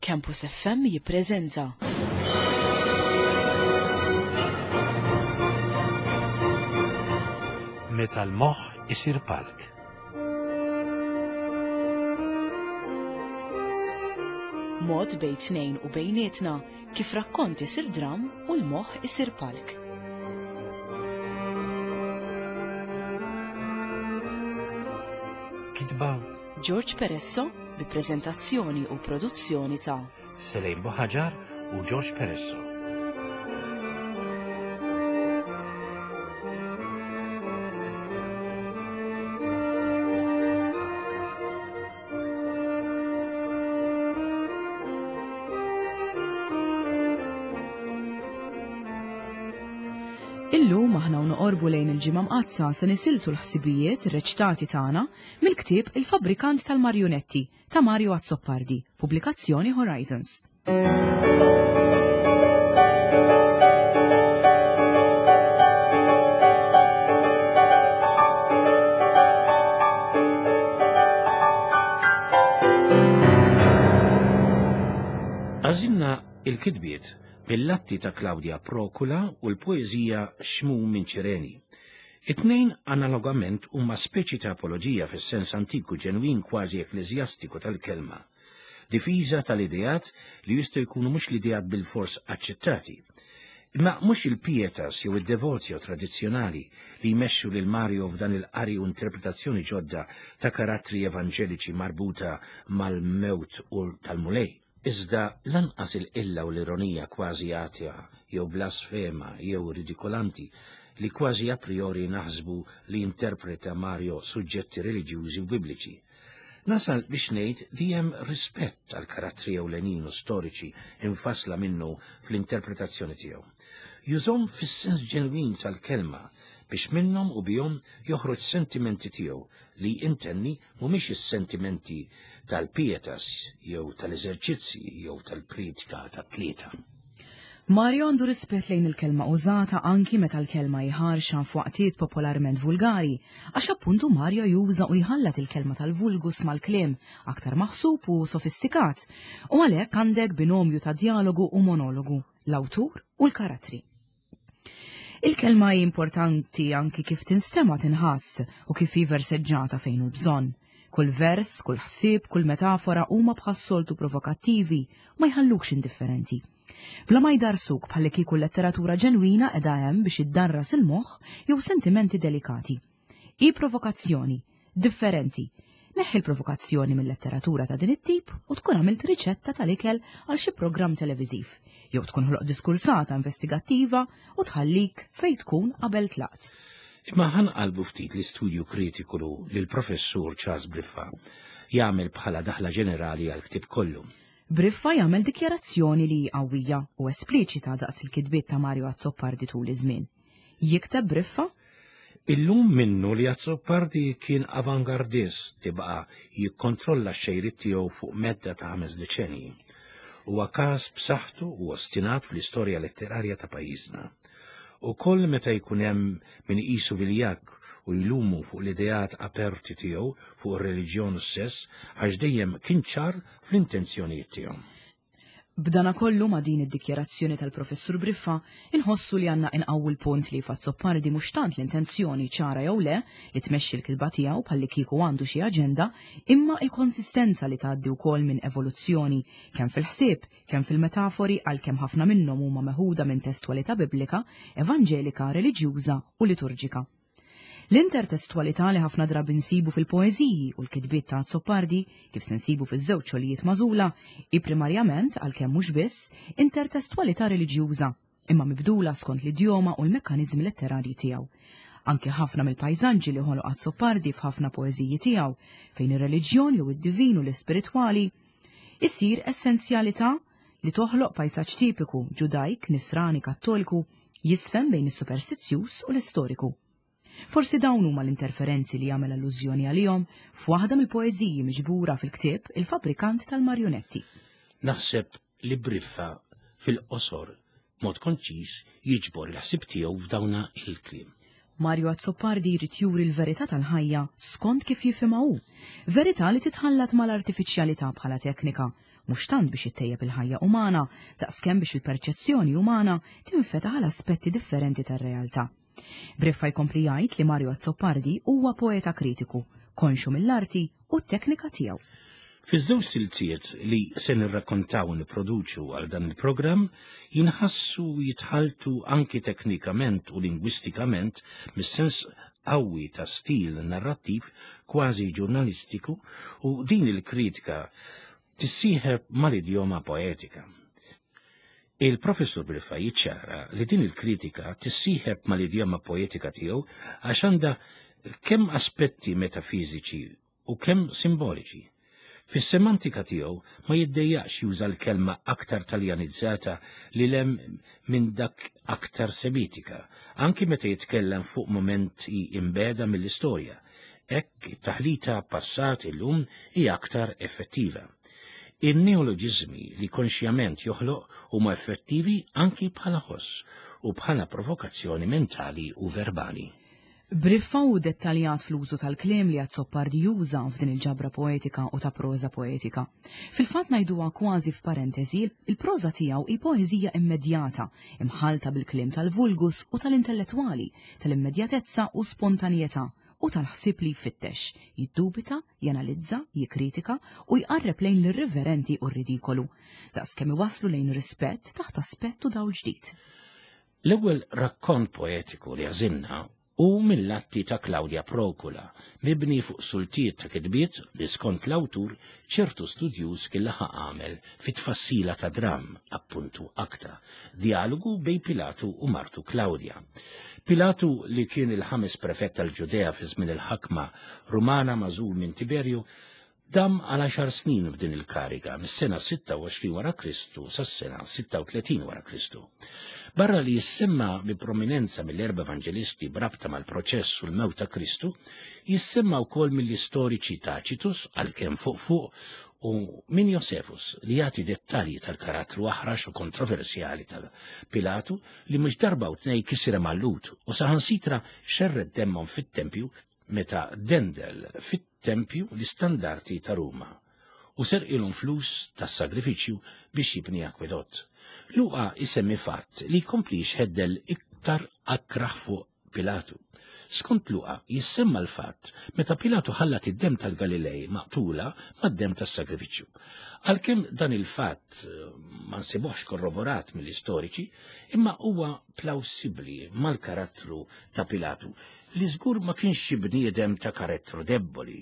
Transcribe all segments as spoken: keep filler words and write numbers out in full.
Campus F M jippreżenta Meta l-moħħ isir palk. Mod bejn tnejn u bejnietna kif rakkont isir dram u l-moħħ isir palk. Kitba George Peresso bi preżentazzjoni u produzzjoni ta' Selejn Buħaġar u George Peresso. Illum aħna u noqorbu lejn il-Ġimgħa Mqaddsa se nisiltu l-ħsibijiet reċtati tagħna mill-ktieb Il-Fabbrikant tal-Marjonetti ta' Mario Azzopardi, pubblikazzjoni Horizons. Għażilna il-kitbiet mill-atti ta' Claudia Procula u l-poeżija Xmum minn Ċireni. It-tnejn analogament huma speċi ta' apoloġija fis-sens antiku ġenwin kważi ekkleżjastiku tal-kelma. Difiża tal-ideat li jistgħu jkunu mhux l-ideat bil-fors aċċettati. Imma mhux il-pietas jew id-devozio tradizzjonali li jmexxu lil Mario f'dan il-qari u interpretazzjoni ġodda ta' karattri evanġeliċi marbuta mal-mewt u tal-Mulej. Iżda lanqas il-qilla u l-ironija kważi atea jew blasfema jew ridikolanti li kważi a priori naħsbu li interpreta Mario suġġetti reliġjużi u bibliċi. Nasal biex ngħid li hemm rispett għal karattri ewlenin u storiċi infassla minnu fl-interpretazzjoni tiegħu. Jużhom fis-sens ġenwin tal-kelma biex minnhom u bihom joħroġ sentimenti tiegħu li intenni mhumiex is-sentimenti tal-pietas jew tal-eżerċizzi jew tal-pritka tat-tlieta. Mario għandu rispett lejn il-kelma użata anki meta l-kelma jħarxa f'waqtiet popolarment vulgari, għax appuntu Mario juża u jħallat il-kelma tal-vulgus mal-kliem aktar maħsub u sofistikat, u għalhekk għandek binomju ta' dialogu u monologu, l-awtur u l-karattri. Il-kelma hi importanti anki kif tinstema' tinħass u kif hi verseġġata fejn hu bżonn. Kull vers, kull ħsieb, kull metafora huma bħas-soltu provokattivi, ma jħallukx indifferenti. Bla ma jdarsuk bħalli kieku letteratura ġenwina qiegħda hemm biex iddarras il-moħħ jew sentimenti delikati. Hi provokazzjoni, differenti. Neħħi l-provokazzjoni mill-letteratura ta' din it-tip u tkun għamilt riċetta tal-ikel għal xi programm televiżiv, jew tkun ħloq diskursata investigattiva u tħallik fejn tkun qabel tlaqt. Imma ħanqalbu ftit l-istudju kritiku li l-professur Charles Briffa jagħmel bħala daħla ġenerali għal ktieb kollu. Briffa jagħmel dikjarazzjoni li qawwija u espliċita daqs il-kitbiet ta' Mario Azzopardi tul iż-żmien. Jikteb Briffa: Illum minnu li Azzopardi kien avangardist li baqa' jikkontrolla x-xejriet tiegħu fuq medda ta' ħames deċenji. Huwa każ b'saħħtu u ostinat fl-istorja letterarja ta' pajjiżna. U koll meta jkun hemm min iqisu viljakk u jlumu fuq l-ideat aperti tiegħu fuq ir-reliġjon u s-sess għax dejjem kien ċar fl-intenzjonijiet tiegħu. B'dana kollu ma' din id-dikjarazzjoni tal-professur Briffa, inħossu li għandna inqawwu l-punt li f'Azzopardi mhux tant l-intenzjoni ċara jew le li tmexxi l-kitba tiegħu bħalli kieku għandu xi aġenda, imma il-konsistenza li tgħaddi wkoll minn evoluzzjoni kemm fil-ħsieb, kemm fil-metafori għalkemm ħafna minnhom huma meħuda minn testwalità biblika, evanġelika, reliġjuża u liturġika. L-intertestwalità li ħafna drabi nsibu fil-poeżiji u l-kitbiet ta' Azzopardi, kif se nsibu fiż-żewġ xogħlijiet magħżula, hi primarjament, għalkemm mhux biss, intertestwalità reliġjuża, imma mibdula skont l-idjoma u l-mekkaniżmi letterarji tiegħu. Anki ħafna mill-pajżaġġi li ħoloq Azzopardi f'ħafna poeżiji tiegħu, fejn ir-reliġjon jew id-divin u l-ispiritwali isir essenzjalità li toħloq pajsaġġ tipiku ġudajk, nisrani, kattoliku, jisfem bejn is-superstizzjuż u l-istoriku. Forsi dawn huma l-interferenzi li jagħmel allużjoni għalihom f'waħda mill-poeżiji miġbura fil-ktieb Il-Fabbrikant tal-Marjonetti. Naħseb li Briffa fil-qosor b'mod konċis jiġbor il-ħsieb tiegħu f'dawna il-kliem. Mario Azzopardi jrid juri l-verità tal-ħajja skont kif jifhimha hu, verità li titħallat mal-artifiċjalità bħala teknika, mhux tant biex ittejjeb il-ħajja umana, daqskemm biex il-perċezzjoni umana tinfetaħ għal aspetti differenti tar-realtà. Briffa jkompli jgħid li Mario Azzopardi huwa poeta kritiku, konxu mill-arti u t-teknika tiegħu. Fiż-żewġ siltiet li se nirrakkontaw u nipproduċu għal dan il-programm jinħassu jitħaltu anki teknikament u lingwistikament mis-sens qawwi ta' stil narrattiv kważi ġurnalistiku u din il-kritika tissieħeb mal-idjoma poetika. Il-professur Briffa jiċċara li din il-kritika tissieħeb mal-idjoma poetika tiegħu għax għandha kemm aspetti metafiżiċi u kemm simboliċi. Fis-semantika tiegħu ma jiddejjaqx juża l-kelma aktar taljanizzata li lem minn dak aktar semitika, anki meta jitkellem fuq momenti imbeda mill-istorja. Hekk it-taħlita passat illum hija aktar effettiva. In-neoloġiżmi li konxjament joħloq huma effettivi anki bħala ħoss u bħala provokazzjoni mentali u verbali. Briffa hu dettaljat fl-użu tal-kliem li Azzopardi juża f'din il-ġabra poetika u ta' proża poetika. Fil-fatt ngħiduha kważi f'parentesi, il-proża tiegħu hi poeżija immedjata, imħalta bil-kliem tal-vulgus u tal-intellettwali, tal-immedjatezza u spontanjetà u tal-ħsieb li jfittex, jiddubita, janalizza, jikkritika u jqarreb lejn l-irriverenti u r-ridikolu, daqskemm iwasslu lejn rispett taħt aspett u dawl ġdid. L-ewwel rakkont poetiku li għażilna hu mill-atti ta' Claudia Procula, mibni fuq sultiet ta' kitbiet li skont l-awtur ċertu studjuż kien laħaq għamel fit-tfassila ta' dram, appuntu akta, dialogu bej Pilatu u martu Claudia. Pilatu, li kien il-ħames prefett tal-Ġudea fi żmien il-ħakma Rumana magħżul minn Tiberju, dam għal għaxar snin f'din il-kariga, mis-sena sitta u għoxrin wara Kristu sas-sena sitta u tletin wara Kristu. Barra li jissemma bi prominenza mill-erba' evangelisti b'rabta mal-proċess u l-mewt ta' Kristu, jissemma wkoll mill-istoriċi Tacitus, għalkemm fuq fuq, u minn Josefus, li jagħti dettalji tal-karattru aħrax u kontroversjali ta' Pilatu li mhux darba u tnej kisira mal-Lhud u saħansitra xerred demmhom fit-tempju meta dendel fit-tempju l-istandarti ta' Ruma u serqilhom flus tas-sagrifiċċju biex jibni akwedott. Luqa isemmi fatt li jkompli jxeddel iktar akraħ fuq Pilatu. Skont Luqa jissemma l-fatt meta Pilatu ħallat id-dem tal-Galilej maqtula mad-dem tas-sagrifiċċju. Għalkemm dan il-fatt ma nsibuhx korroborat mill-istoriċi, imma huwa plawsibbli mal-karattru ta' Pilatu li żgur ma kienx xi bniedem ta' karattru debboli,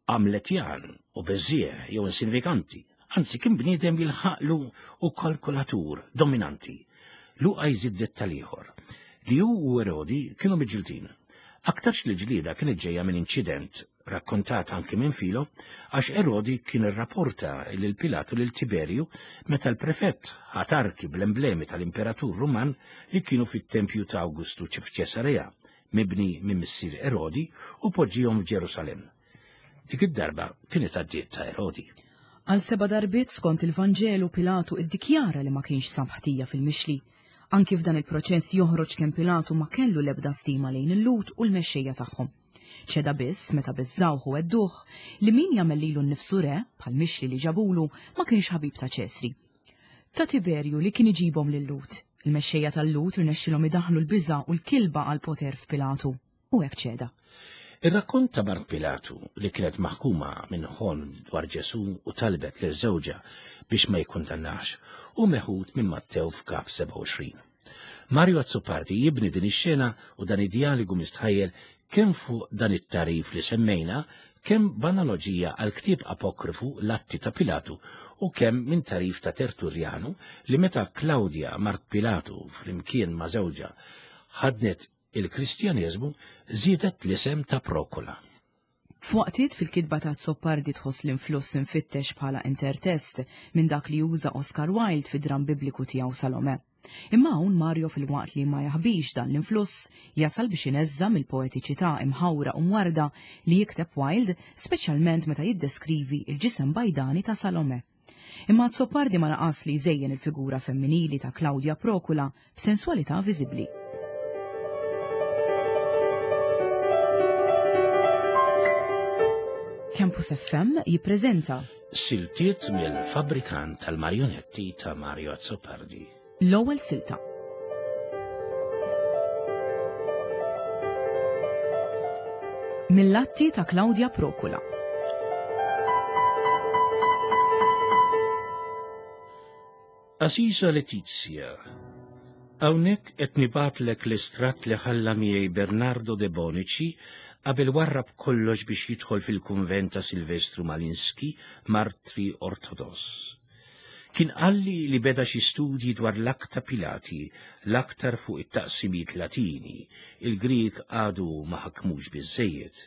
amletjan u beżieħ jew insignifikanti, anzi kien bniedem jilħaqlu u kalkulatur dominanti. Luqa jżid dettal ieħor li hu u Erodi kienu miġġildin. Aktarx li ġlieda kienet ġejja minn inċident rakkontat anki minn Filo, għax Erodi kien irrapporta lil Pilatu lil Tiberju meta l-prefett ħatarki bl-emblemi tal-imperatur Ruman li kienu fit-tempju ta' Awgustu f'Ċesarea, mibni minn missier Erodi, u poġġihom f'Ġerusalemm. Dik id-darba kienet għaddiet ta' Erodi. Għal seba' darbiet skont il-Vanġelu Pilatu iddikjara li ma kienx sab ħtija fil-mixli. Anki f'dan il-proċess joħroġ kemm Pilatu ma kellu l-ebda stima lejn il-Lhud u l-mexxejja tagħhom. Ċeda biss meta biżżawh u għedduh li min jagħmel lilu nnifsu re, bħal mixli li ġabulu, ma kienx ħabib ta' Ċesri. Ta' Tiberju li kien iġibhom lil-Lhud. Il-mexxejja tal-Lhud irnexxilhom idaħħlu l-biża' u l-kilba għal poter f'Pilatu, u hekk ċeda. Ir-rakkont ta' Mart Pilatu li kienet maħkuma minn ħolm dwar Ġesù u talbet lil żewġha biex ma jikkundannax u meħud minn Mattew f'kap sebgħa u għoxrin. Mario Azzopardi jibni din ix-xena u dan id-dialogu mistħajjel kemm fuq dan it-tarif li semmejna, kemm b'analoġija għal ktieb apokrifu l-Atti ta' Pilatu u kemm minn tarif ta' Tertullianu li meta Claudia Mart Pilatu flimkien ma' żewġha ħadnet il-Kristjaneżmu żiedet l-isem ta' Procula. F'waqtiet fil-kitba ta' Azzopardi tħoss l-influss infittex bħala intertest minn dak li juża Oscar Wilde fid-dram bibliku tiegħu Salome. Imma hawn Mario fil-waqt li ma jaħbix dan l-influss jasal biex ineżża mill-poetiċità imħawra u mwarda li jikteb Wilde, speċjalment meta jiddeskrivi il-ġisem bajdani ta' Salome. Imma Azzopardi ma naqas li jżejjen il-figura femminili ta' Claudia Procula b'sensualità viżibbli. Campus F M jippreżenta Siltiet mill-fabbrikant tal-marionetti ta' Mario Azzopardi. L-ewwel silta. Mill-atti ta' Claudia Procula. Aziza Letizia, hawnhekk qed nibgħatlek l-istratt li ħalla miegħi Bernardo de Bonici qabel warrab kollox biex jidħol fil-kunvent ta' Silvestru Malinski, martri ortodoss. Kien qalli li beda xi studji dwar l-akta Pilati, l-aktar fuq it-taqsimiet Latini, il-Grieg għadu ma ħakmux biżżejjed.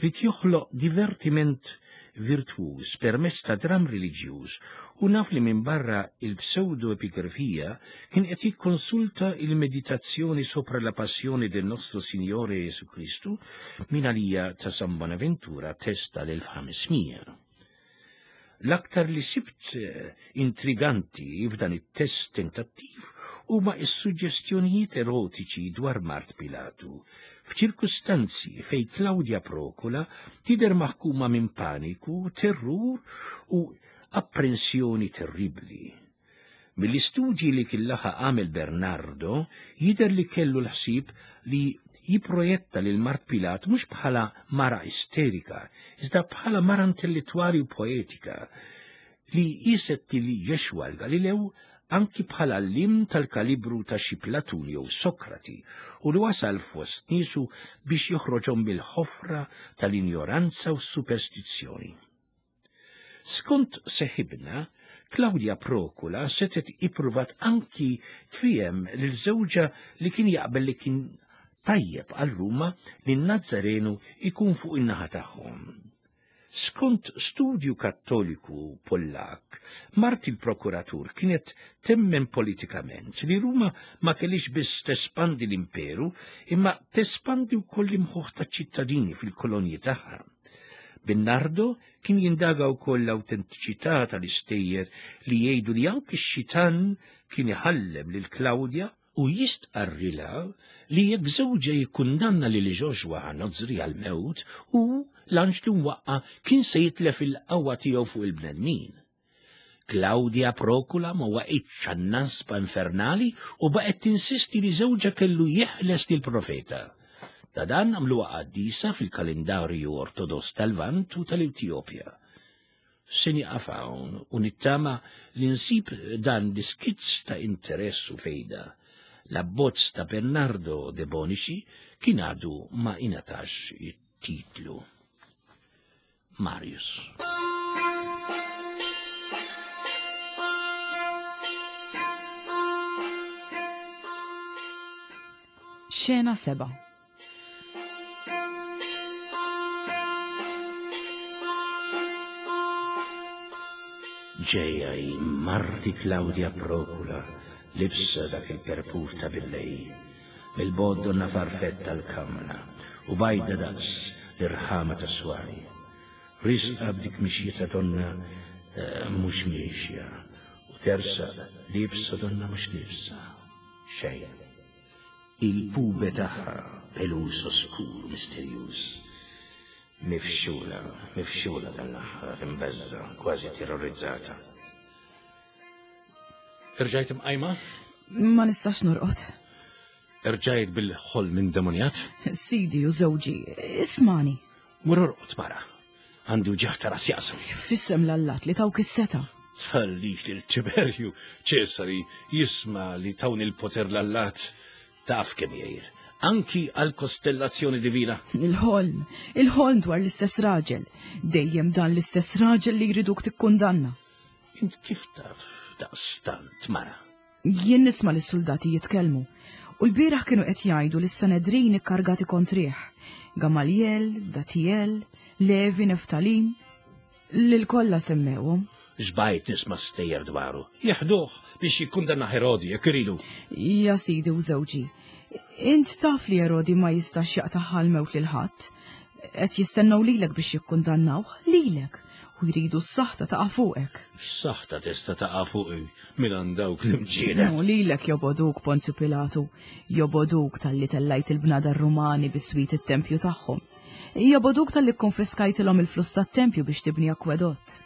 Rid joħloq divertiment virtuż permezz ta' dram reliġjuż u naf li minn barra il-pseudo-epigrafija kien qed jikkonsulta il-meditazzjoni sopra la passjoni del nostro Signore Jesu Kristu minn għalija ta' San Bonaventura test tal-elf ħamesmija. L-aktar li sibt intriganti f'dan it-test tentattiv huma s-suġġestjonijiet erotiċi dwar Mart Pilatu, f'ċirkustanzi fej Claudia Procula tidher maħkuma minn paniku, terrur u apprensjoni terribli. Mill-istudji li kien laħaq għamel Bernardo jidher li kellu l-ħsieb li jipprojetta lil Mart Pilat mhux bħala mara isterika, iżda bħala mara intellettwali u poetika li qiset li Jexwa l-Galilew anki bħala l-lim tal-kalibru ta' xi Platun jew Sokrati u li wasal fost niesu biex joħroġhom mill-ħofra tal-injoranza u s-superstizzjoni. Skont seħibna, Claudia Procula setet ippruvat anki tfiem lil żewġha li kien jaqbel li kien tajjeb għal Ruma li n-Nazzarenu ikun fuq in-naħa tagħhom. Skont studju kattoliku Pollak, Mart il-prokuratur kienet temmen politikament li Ruma ma kellix biss tespandi l-imperu, imma tespandi wkoll l-imħuħ taċ-ċittadini fil-kolonji tagħha. Bernardo kien jindaga wkoll l-awtentiċità tal-istejjer li jgħidu li anki x-xitan kien iħallem lil Claudia u jistqarrilha li jekk żewġha jikkundanna lil Joshua Nozri għal-mewt u l-anġlu mwaqqa kien se jitlef il-qawwa tiegħu fuq il-bnedmin. Claudia Procula ma waqitx għan-nasba infernali u baqgħet tinsisti li żewġha kellu jeħles lill-profeta. Ta' dan għamluha qaddisa fil-kalendarju ortodoss tal-Lvant u tal-Etjopja. Se nieqaf hawn u nittama li nsib dan l-iskizz ta' interess u fejda. L-abbozz ta' Bernardo de Bonici kien għadu ma ingħatax it-titlu. Marius. Xena seba'. Ġejja hi marti Claudia Procula libsa dak il-perpur ta' billej, mill-bod donna farfett tal-kamra u bajda daqs l-irħama ta' swari. Risqa b'dik mixjeta donna mhux miexja u tersa libsa donna mhux libsa. Xejn. Il-pube tagħha pelus oskur misterjuż. Mifxula, mifxula dan l-aħħar, imbeżża, kważi terrorizzata. Irġajt imqajma? Ma nistax norqod. Irġajt bil-ħolm indemonjat? Sidi u żewġi, ismani. Mur orqod mara. Għandi wġigħ ta' ras jaqsam. Fissem l-allat li tawk is-seta. Tħallix lil Tiberju Ċesari jisma' li tawni l-poter l-allat. Taf kemm jgħir. Anki għal kostellazzjoni divina. Il-ħolm, il-ħolm dwar l-istess raġel. Dejjem dan l-istess raġel li jriduk tikkundanna. Int kif taf daqstant mara? Jien nisma' lis-soldati jitkellmu. U l-bieraħ kienu qed jgħidu li s-Sanedrin ikkargati kontrih. Gamaliel, Datiel, Levi, Neftalin, lil kollha semmewhom. Xbajt nisma' stejjer dwaru. Jeħduh biex jikkundanna Herodi jekk iridu. Ja sidi u żewġi, int taf li Erodi ma jistax jaqtaħħa l-mewt lil ħadd. Qed jistennew lilek biex jikkundannawh, lilek, u jridu s-saħta taqa' fuqek. X-saħta tista' taqa' fuqi minn għand dawk l-imġiena. No, lilek joboduk Ponzju Pilatu, joboduk talli tellajt il-bnadar Rumani biswit it-tempju tagħhom. Joboduk talli kkonfiskajtilhom il-flus tat-tempju biex tibni akwedott.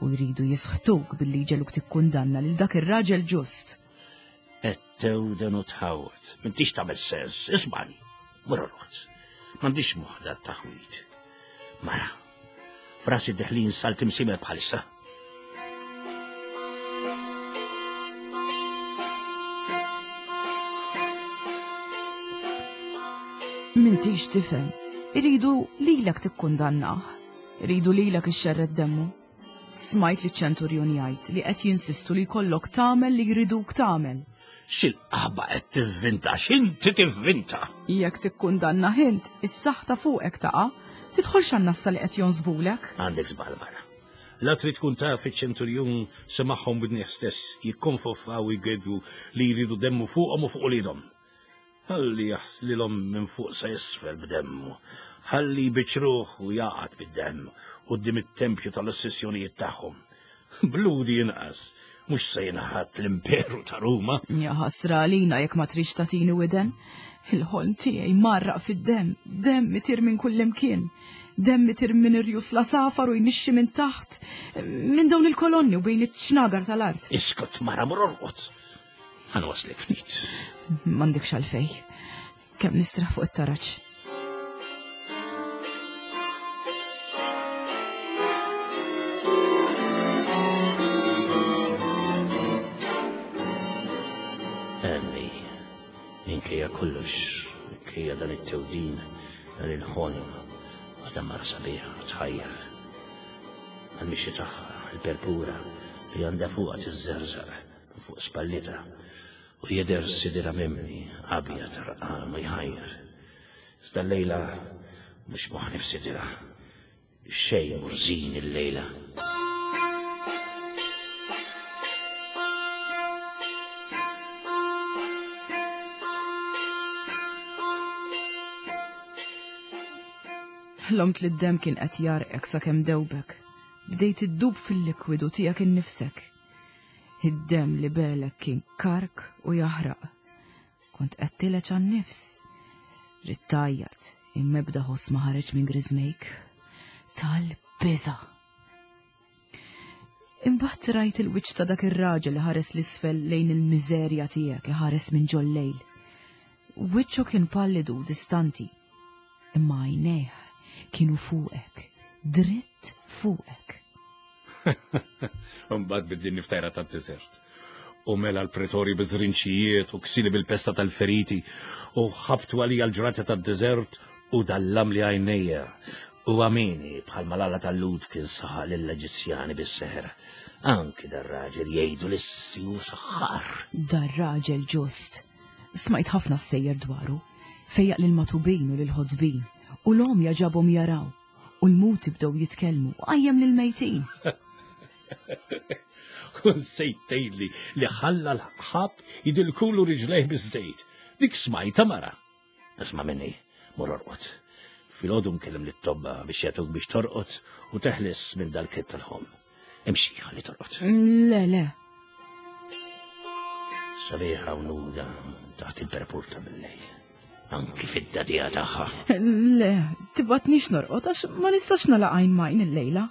U jridu jisħtuk billi jġegħluk tikkundanna lil dak ir-raġel ġust. Qed tewden u tħawwad. M'intix tagħmel sens, ismani. Mur orqod. M'għandix moħħ dat-taħwid. Mara, frasi deħlin salt imsimer bħalissa. M'intix tifhem. Iridu lilek tikkundannah. Iridu lilek ixxerred demmu. Smajt li ċ-ċenturjon jgħid li qed jinsistu li jkollok tagħmel li jriduk tagħmel. X'il-qaħba qed tivvinta, x'inti tivvinta? Jekk tikkundannah int, is-saħta fuqek taqa', tidħolx għan-nassa li qed jonsbulek. Għandek żball mara. La trid tkun taf iċ-ċenturjun semagħhom bidnieh stess jikkonfoffaw u jgeddu li jridu demmu fuqhom u fuq uliedhom. Ħalli jaħslilhom minn fuq sa isfel b'demmu, ħalli jbiċruh u jaqgħad bid-demm quddiem it-tempju tal-ossessjonijiet tagħhom. Bludi inqas, mhux se jinħatt l-imperu ta' Ruma. Ja ħasra għalina jekk ma trix tagħtini widen. Il-ħolm tiegħi marraq fid-demm, demm itir minn kullimkien. Demm itir minn irjus la safar u jnixxi minn taħt, minn dawn il-kolonni u bejn iċ-ċnagar tal-art. Iskot mara, mur orqod. Ħanwaslek ftit. M'għandekx għalfej. Kemm nistraħ fuq it-taraġ. Emmi, minkejja kollox, minkejja dan it-tewdin, dan il-ħolm, għadha mara sabiħa, tħajjar. Għal-mixi tagħha, il-perpura li għandha fuqha tiżżerżaq fuq spallita u jidher sidira mimli, abjad rqam u jħajjar. Iżda l-lejla mhux moħħni f'sidira. Xejn murżin il-lejla. Ħlomt li d-demm kien qed jarqek sakemm dewbek. Bdejt iddub fil-likwidu tiegħek innifsek. Id-demm li belek kien kark u jaħraq. Kont qed tileġ għan-nifs. Ridt tgħajjat, imma ebda ħoss ma ħareġ minn griżmejk. Tal-biża'. Imbagħad rajt il-wiċċ ta' dak ir-raġel li ħares l-isfel lejn il-miżerja tiegħek iħares minn ġol-lejl. Wiċċu kien pallidu u distanti, imma għajnejh kienu fuqek, dritt fuqek. Mbagħad biddi niftajra tad-deżert. U mela l-pretori biżrinċijiet u ksili bil-pesta tal-feriti u ħabtu għalija l-ġrata tad-deżert u dallam li għajnejja. U għamini bħal malala tal-Lud kien saħaq lill-Eġizzjani bis-seħer. Anki dar-raġel jgħidu lissi u saħħar. Dar-raġel ġust. Smajt ħafna sejjer dwaru. Fejjaq lil-matubin u lil-ħodbin u l-om jaġabhom jaraw. U l-muti bdew jitkellmu u qajjem lil-mejtin. U nsejt tgħidli li ħalla l-ħab jidilkulu riġlejh biż-żejt. Dik smajta mara. Isma' minni, mur orqod. Filgħodu nkellem lit-tobba biex jagħtuk biex torqod u teħles minn dal-kit tal-ħom. Imxi ħalli torqod. Le, le. Sabiħa u nuda taħt il-perpurta bil-lejl. Anki fid-dadija tagħha. Le, tibatnix norqod għax ma nistax nagħlaq għajn majn il-lejla.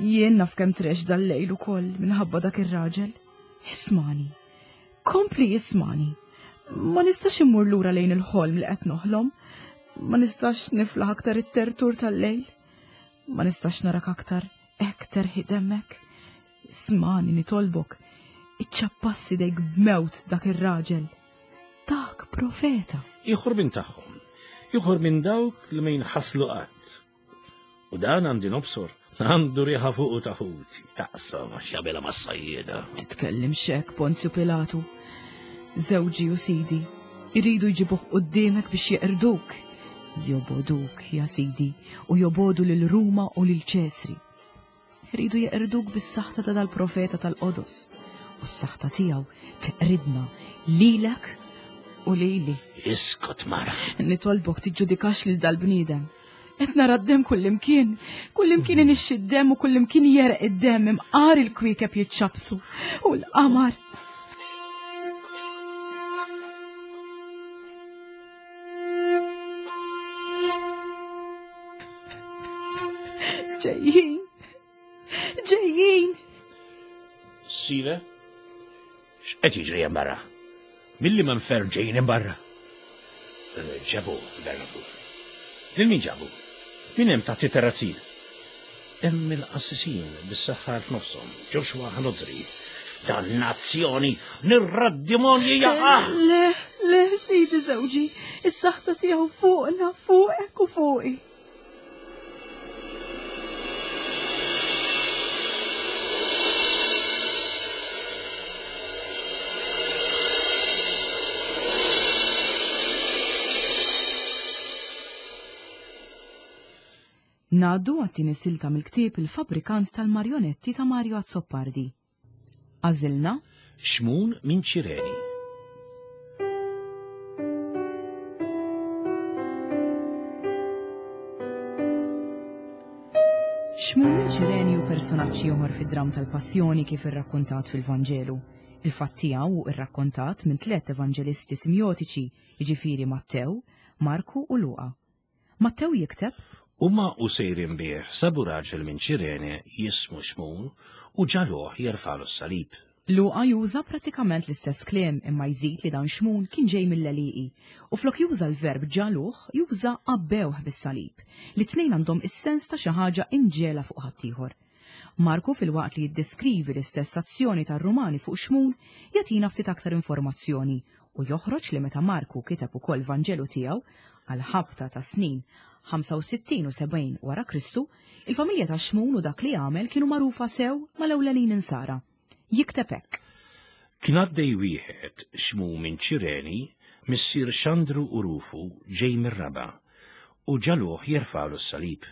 Jien naf kemm trex dal-lejl ukoll minħabba dak ir-raġel. Ismani, kompli ismani. Ma nistax immur lura lejn il-ħolm li qed noħlom. Ma nistax niflaħ aktar it-tertur tal-lejl. Ma nistax narak aktar hekk terħi demmek. Ismani nitolbok, iċċappassi dejk b'mewt dak ir-raġel. Dak profeta. Ieħor minn tagħhom, ieħor minn dawk li ma jinħaslu qatt. U dan għandi nobsor, għandu riħa fuqu taħut, taqsam għax jagħmilha mas-sajjieda. Titkellim xek, Ponzju Pilatu. Żewġi u sidi, iridu jġibuh quddiemek biex jeqrduk. Joboduk, ja sidi, u jobodu lil Ruma u lil Ċesri. Iridu jeqrduk bis-saħta ta' dal-profeta tal-Qodos. U s-saħta tiegħu teqridna lilek u lili. Iskot mara. Nitolbok tiġġudikax lil dal-bniedem. Qed nara d-demm kullimkien, kullimkien inixxi d-demm u kullimkien jereq id-demm imqar il-kwiekeb jiċċabsu u l-qamar. Ġejjin! Ġejjin! Sire? X'qed jiġri hemm barra? Milli ma nfern ġejjin hemm barra? Ġabu, Vernakur. Lil min ġabu? Min hemm taħt it-terrazzin? Hemm il-qassisin bis-saħħar f'nofshom, Joshua Hanozri. Dannazzjoni, nirra d-demonji jaqa! Le, le, sidi żewġi, is-saħta tiegħu fuqna, fuqek u fuqi. Ngħaddu għat-tieni silta mill-ktieb Il-Fabbrikant tal-Marjonetti ta' Mario Azzopardi. Għażilna Xmun minn Ċireni. Xmun minn Ċireni u personaġġ ieħor fid-dramm tal-Passjoni kif irrakkontat fil-Vanġelu. Il-fatt tiegħu hu rrakkontat minn tliet evanġelisti simjotiċi, jiġifieri Mattew, Marku u Luqa. Mattew jikteb: Huma u sejrin bih sabu raġel minn Ċirene jismu Xmun u ġaluh jerfalu s-salib. Luqa juża prattikament l-istess kliem imma jżid li dan Xmun kien ġej mill-għelieqi u flok juża l-verb ġaluh juża għabbewh bis-salib li tnejn għandhom is-sens ta' xi ħaġa imġela fuq ħaddieħor. Marku filwaqt li jiddeskrivi l-istess azzjoni tar-Rumani fuq Xmun jagħtina ftit aktar informazzjoni u joħroġ li meta Marku kiteb ukoll Vanġelu tiegħu għal ħabta ta' snin ħamsa u sittin u sebgħin wara Kristu, il-familja ta' Xmun u dak li għamel kienu magħrufa sew mal-ewlenin insara. Jikteb hekk. Kien għaddej wieħed Xmun minn Ċireni, missier Xandru u Rufu ġej mir-raba' u ġaluh jerfalu s-salib.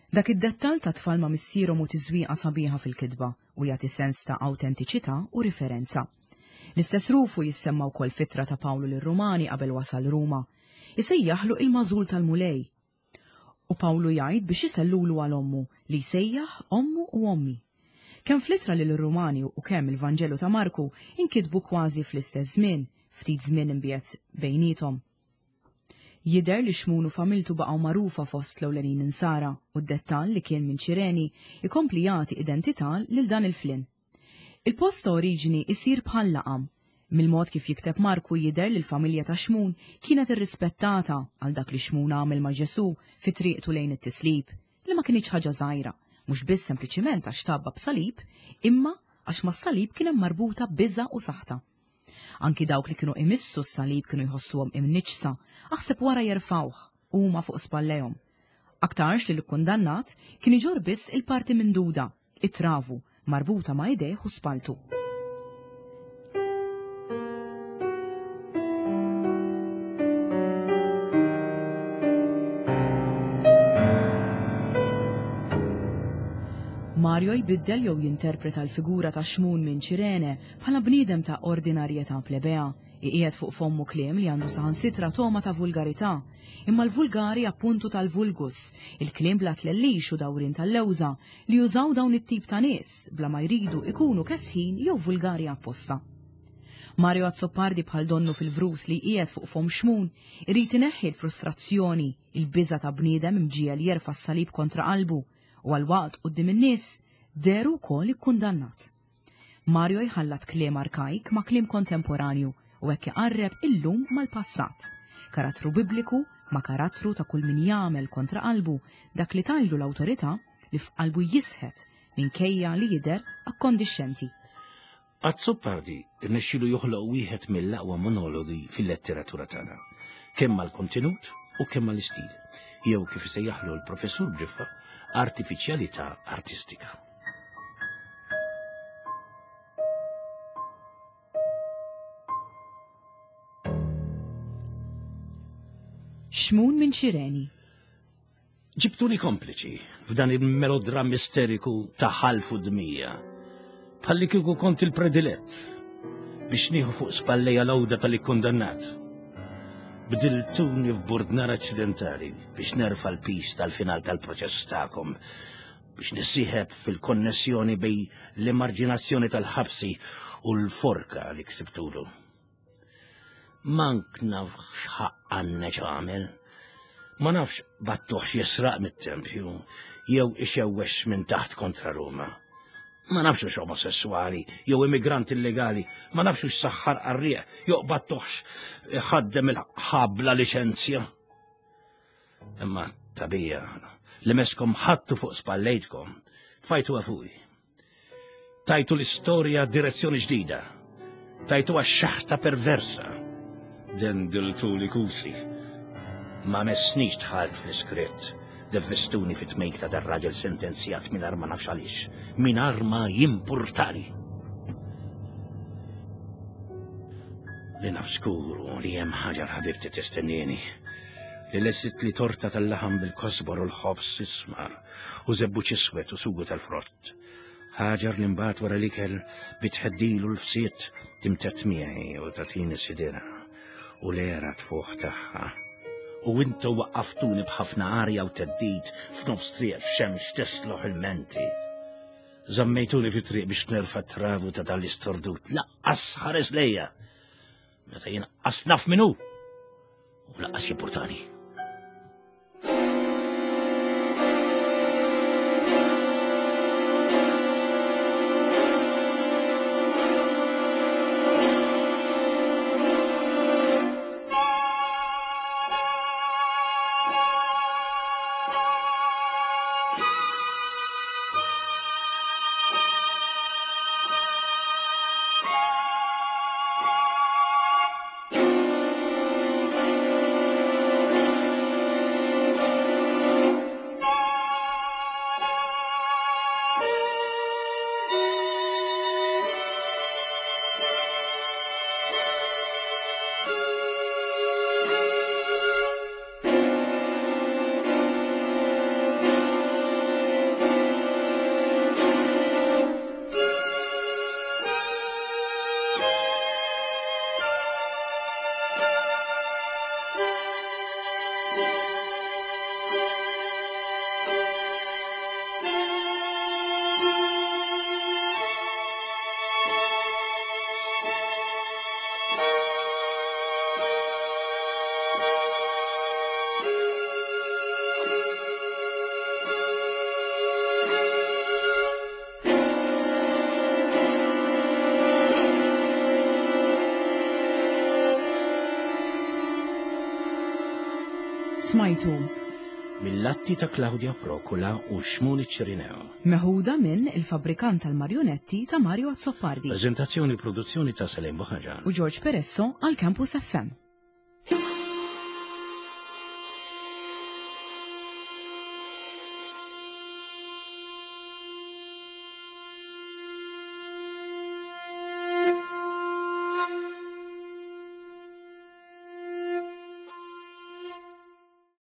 Dak id-dettall ta' tfal ma' missierhom u tiżwieqa sabiħa fil-kitba u jagħti sens ta' awtentiċità u riferenza. L-istess Rufu jissemma wkoll fitra ta' Pawlu lir-Rumani qabel wasal Ruma. Isejjaħlu il-mażul tal-Mulej. U Pawlu jgħid biex isellulu għal ommu li jsejjaħ ommu u ommi. Kemm fl-ittra lil Rumani u kemm il-Vanġelu ta' Marku inkitbu kważi fl-istess żmien, ftit żmien imbiegħed bejniethom. Jidher li Xmun u familtu baqgħu magħrufa fost l-ewlenin insara u d-dettall li kien minn Ċireni ikompli jagħti identità lil dan il-flin. Il-post ta' oriġini isir bħal laqam. Mill-mod kif jikteb Marku jidher li l-familja ta' Xmun kienet irrispettata għal dak li Xmun għamel ma' Ġesu fi triqtu lejn it-tislib, li ma kienx ħaġa żgħira, mhux biss sempliċiment għax tabba b'salib, imma għax mas-salib kien hemm marbuta biża' u saħta. Anki dawk li kienu imissu s-salib kienu jħossuhom imniġsa, aħseb wara jerfawh huma fuq spallejhom. Aktarx li l-kundannat kien iġorr biss il-parti minduda, it-travu, marbuta ma' idejh u spaltu. Mario jbiddel jew jinterpreta l-figura ta' Xmun minn Ċirene bħala bniedem ta' ordinarjetà plebea, iqiegħed fuq fommu kliem li għandu saħansitra toma ta' vulgarità, imma l-vulgari appuntu tal-vulgus, il-kliem bla tlellix u dawrin tal-lewża li jużaw dawn it-tip ta' nies bla ma jridu ikunu kesħin jew vulgari apposta. Mario Azzopardi bħal donnu fil-vrus li qiegħed fuq fom Xmun irid ineħħi l-frustrazzjoni, il-biża' ta' bniedem imġiegħel jerfa' s-salib kontra qalbu u għal-waqt quddiem in-nies deru wkoll ikkundannat. Mario jħallat kliem arkajk ma' kliem kontemporanju u hekk iqarreb illum mal-passat. Karattru bibliku ma' karattru ta' kull min jagħmel kontra qalbu dak li tajlu l-awtorità li f'qalbu jisħet minkejja li jidher akkondixxenti. Azzopardi rnexxielu joħloq wieħed mill-aqwa monologi fil-letteratura tagħna, kemm mal-kontenut u kemm mal-istil, jew kif isejjaħlu l-professur Briffa, artifiċjalità artistika. Xmun minn Ċireni. Ġibtuni kompliċi f'dan il-melodram misteriku ta' ħalf u dmija, bħalli kieku kont il-predilett biex nieħu fuq spallejja l-għawda tal-ikkundannat. Bdiltuni f'burdnar aċċidentali biex nerfa' l-pis tal-final tal-proċess tagħkom, biex nissieħeb fil-konnessjoni bej l-emarġinazzjoni tal-ħabsi u l-forka li ksibtulu. Mank naf x'ħaq għandna x'għamel. Ma nafx battuħx jisraq mit-tempju jew ixewwex minn taħt kontra Ruma. Ma nafx hux omosessuali jew immigrant illegali, ma nafx hux saħħar qarrieq jew battuħx ħaddem il-ħabla liċenzja. Imma tabija li meskom ħattu fuq spallejtkom, tfajtu fuqi. Tajtu l-istorja direzzjoni ġdida. Tajtu xaħta perversa. Dendiltu li kusi. Ma messnix dħalt fl-iskritt. Devvestuni fit-tmejk ta' dar-raġel sentenzjat mingħajr ma nafx għaliex, mingħajr ma jimpurtali. Li naf skuru li hemm ħaġa ħabibti tistennieni. Li lessit li torta tal-laħam bil-kosbor u l-ħobż ismar u żebbuġ iswed u sugu tal-frott. Ħaġar li mbagħad wara l-ikel bitħeddilu l-fsiet timtet miegħi u tagħtini sidira u l-era tfuħ tagħha. U intu waqqaftuni b'ħafna arja u teddid f'nofs triq f'xemx tisloħ il-menti. Żammejtuni fit-triq biex nerfa' travu ta' dal-istordut. Laqqas ħares lejja. Meta jien naf min hu. U laqqas jimpurtani. Smajtu Mill-atti ta' Claudia Procula u Xmuni Ċirineo. Meħuda minn Il-Fabbrikant tal-Marjonetti ta' Mario Azzopardi Prezentazzjoni u produzzjoni ta' Salim Buħaġan. u George Peresso għal Campus F M.